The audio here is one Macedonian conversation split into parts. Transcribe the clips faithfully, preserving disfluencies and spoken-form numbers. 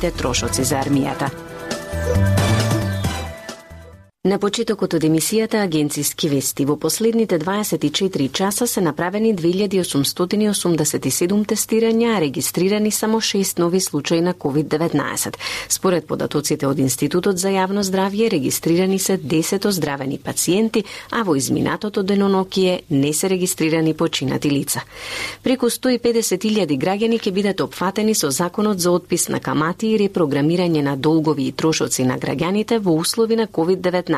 те трошоци за армијата. На почетокот од емисијата Агенциски вести, во последните дваесет и четири часа се направени две илјади осумстотини осумдесет и седум тестирања, а регистрирани само шест нови случаи на ковид деветнаесет. Според податоците од Институтот за јавно здравје, регистрирани се десет оздравени пациенти, а во изминатото денонокие не се регистрирани починати лица. Преку сто и педесет илјади граѓани ќе бидат опфатени со Законот за отпис на камати и репрограмирање на долгови и трошоци на граѓаните во услови на ковид деветнаесет.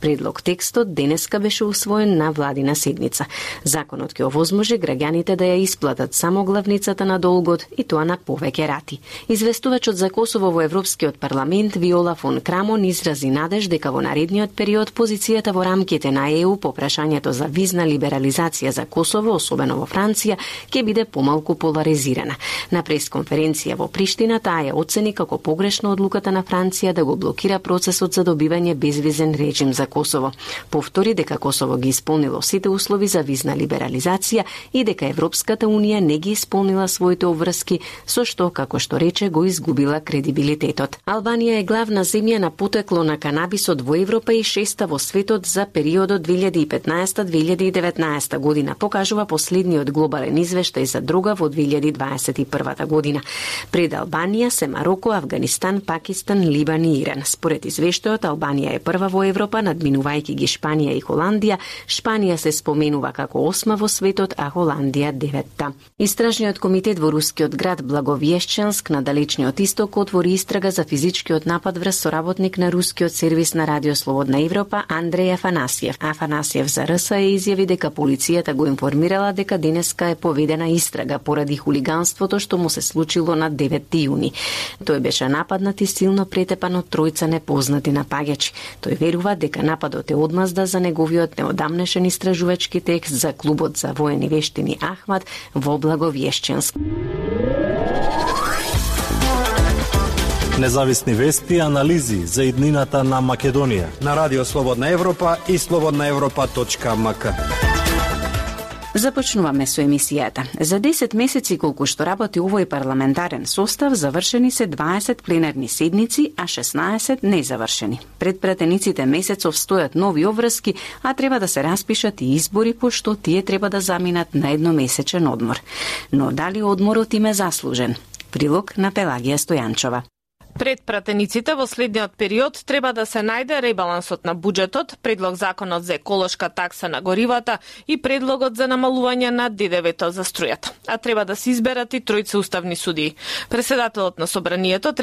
Предлог текстот денеска беше усвоен на владина седница. Законот ќе овозможи граѓаните да ја исплатат само главницата на долгот и тоа на повеќе рати. Известувачот за Косово во Европскиот парламент Виола фон Крамон изрази надеж дека во наредниот период позицијата во рамките на Е У по прашањето за визна либерализација за Косово, особено во Франција, ќе биде помалку поларизирана. На пресконференција во Приштина таа ја оцени како погрешна одлуката на Франција да го блокира процесот за добивање безвизен режим за Косово. Повтори дека Косово ги исполнило сите услови за визна либерализација и дека Европската унија не ги исполнила своите обврски, со што, како што рече, го изгубила кредибилитетот. Албанија е главна земја на потекло на канабисот во Европа и шеста во светот за периодот две илјади и петнаесета до две илјади и деветнаесета година, покажува последниот глобален извештај за дрога во две илјади дваесет и прва година. Пред Албанија се Мароко, Авганистан, Пакистан, Либан и Иран. Според извештајот, Албанија е прва во Европа, надминувајќи ги Шпанија и Холандија. Шпанија се споменува како осма во светот, а Холандија деветта. Истражниот комитет во рускиот град Благовјешченск на далечниот исток отвори истрага за физичкиот напад врз соработник на рускиот сервис на Радио Слободна Европа Андреј Афанасиев. Афанасиев за Р С Е изјави дека полицијата го информирала дека денеска е поведена истрага поради хулиганството што му се случило на деветти јуни. Тој беше нападнат и силно претепан од тројца непознати напаѓачи. Тој верува дека нападот е одмазда за неговиот неодамнешен истражувачки текст за клубот за воени вештини Ахмат во Благовјешченск. Независни вести и анализи за иднината на Македонија на Радио Слободна Европа и слободна европа точка ем ка. Започнуваме со емисијата. За десет месеци колку што работи овој парламентарен состав, завршени се дваесет пленарни седници, а шеснаесет незавршени. Пред пратениците месецов стојат нови обврски, а треба да се распишат и избори, пошто тие треба да заминат на едномесечен одмор. Но дали одморот им е заслужен? Прилог на Пелагија Стојанчова. Пред пратениците во следниот период треба да се најде ребалансот на буџетот, предлог законот за еколошка такса на горивата и предлогот за намалување на Д Д В-то за струјата. А треба да се изберат и тројца уставни судии. Преседателот на собранието треба